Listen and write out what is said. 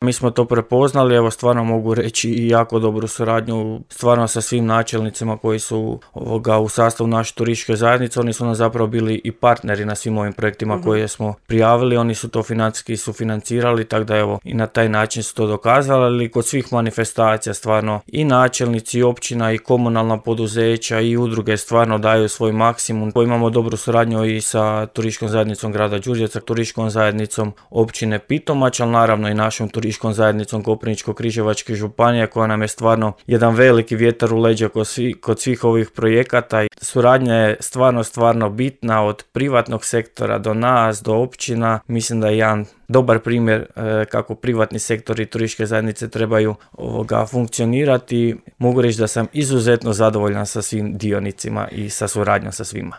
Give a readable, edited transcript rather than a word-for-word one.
Mi smo to prepoznali, evo stvarno mogu reći i jako dobru suradnju stvarno sa svim načelnicima koji su u sastavu naše turističke zajednice. Oni su nam zapravo bili i partneri na svim ovim projektima koje smo prijavili, oni su to financijski sufinancirali, tako da evo i na taj način su to dokazali, ali kod svih manifestacija stvarno i načelnici i općina i komunalna poduzeća i udruge stvarno daju svoj maksimum. Imamo dobru suradnju i sa turističkom zajednicom grada Đurđevca, turističkom zajednicom općine Pitomač, ali naravno i našom turističkom zajednicom Koprivničko-križevačke županije koja nam je stvarno jedan veliki vjetar u leđa kod svih ovih projekata. Suradnja je stvarno bitna od privatnog sektora do nas, do općina. Mislim da je jedan dobar primjer kako privatni sektor i turističke zajednice trebaju funkcionirati. Mogu reći da sam izuzetno zadovoljan sa svim dionicima i sa suradnjom sa svima.